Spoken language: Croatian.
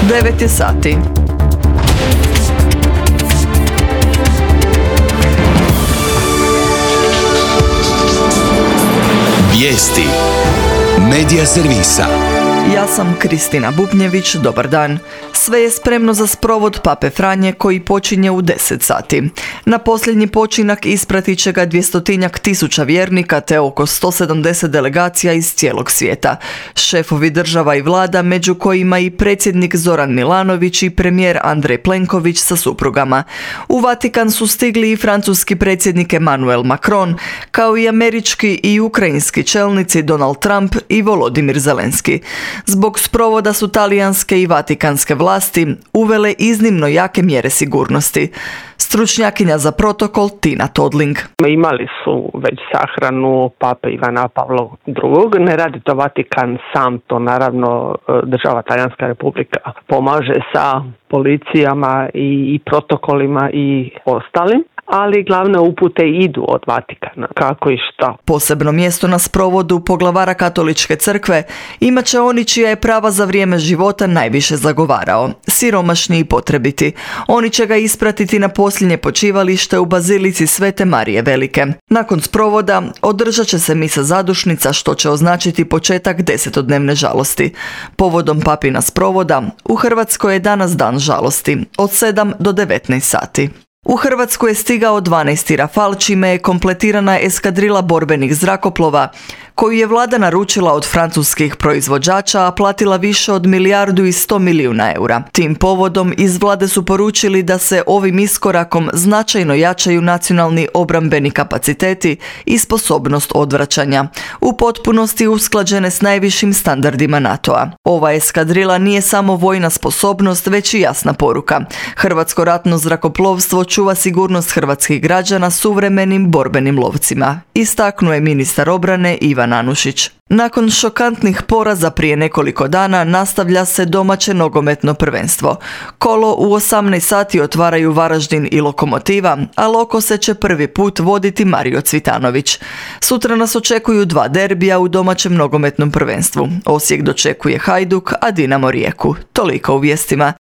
9 je sati. Vijesti Medija servisa. Ja sam Kristina Bubnjević, dobar dan. Sve je spremno za sprovod Pape Franje koji počinje u 10 sati. Na posljednji počinak ispratit će ga 200.000 vjernika te oko 170 delegacija iz cijelog svijeta. Šefovi država i vlada, među kojima i predsjednik Zoran Milanović i premijer Andrej Plenković sa suprugama. U Vatikan su stigli i francuski predsjednik Emmanuel Macron, kao i američki i ukrajinski čelnici Donald Trump i Volodimir Zelenski. Zbog sprovoda su talijanske i vatikanske vlasti uvele iznimno jake mjere sigurnosti. Stručnjakinja za protokol Tina Todling. Imali su već sahranu pape Ivana Pavla II. Ne radi to Vatikan sam, to naravno država Talijanska republika pomaže sa policijama i protokolima i ostalim. Ali glavne upute idu od Vatikana, kako i šta. Posebno mjesto na sprovodu poglavara Katoličke crkve imat će oni čija je prava za vrijeme života najviše zagovarao, siromašni i potrebiti. Oni će ga ispratiti na posljednje počivalište u Bazilici Svete Marije Velike. Nakon sprovoda održat će se misa zadušnica, što će označiti početak 10-dnevne žalosti. Povodom papina sprovoda u Hrvatskoj je danas dan žalosti od 7 do 19 sati. U Hrvatsku je stigao 12. Rafal, čime je kompletirana eskadrila borbenih zrakoplova, koju je vlada naručila od francuskih proizvođača, a platila više od 1,1 milijarda eura. Tim povodom iz vlade su poručili da se ovim iskorakom značajno jačaju nacionalni obrambeni kapaciteti i sposobnost odvraćanja, u potpunosti usklađene s najvišim standardima NATO-a. Ova eskadrila nije samo vojna sposobnost, već i jasna poruka. Hrvatsko ratno zrakoplovstvo čuva sigurnost hrvatskih građana suvremenim borbenim lovcima, istaknuo je ministar obrane Ivan Anušić. Nakon šokantnih poraza prije nekoliko dana nastavlja se domaće nogometno prvenstvo. Kolo u 18 sati otvaraju Varaždin i Lokomotiva, a Lokose će prvi put voditi Mario Cvitanović. Sutra nas očekuju 2 derbija u domaćem nogometnom prvenstvu. Osijek dočekuje Hajduk, a Dinamo Rijeku. Toliko u vijestima.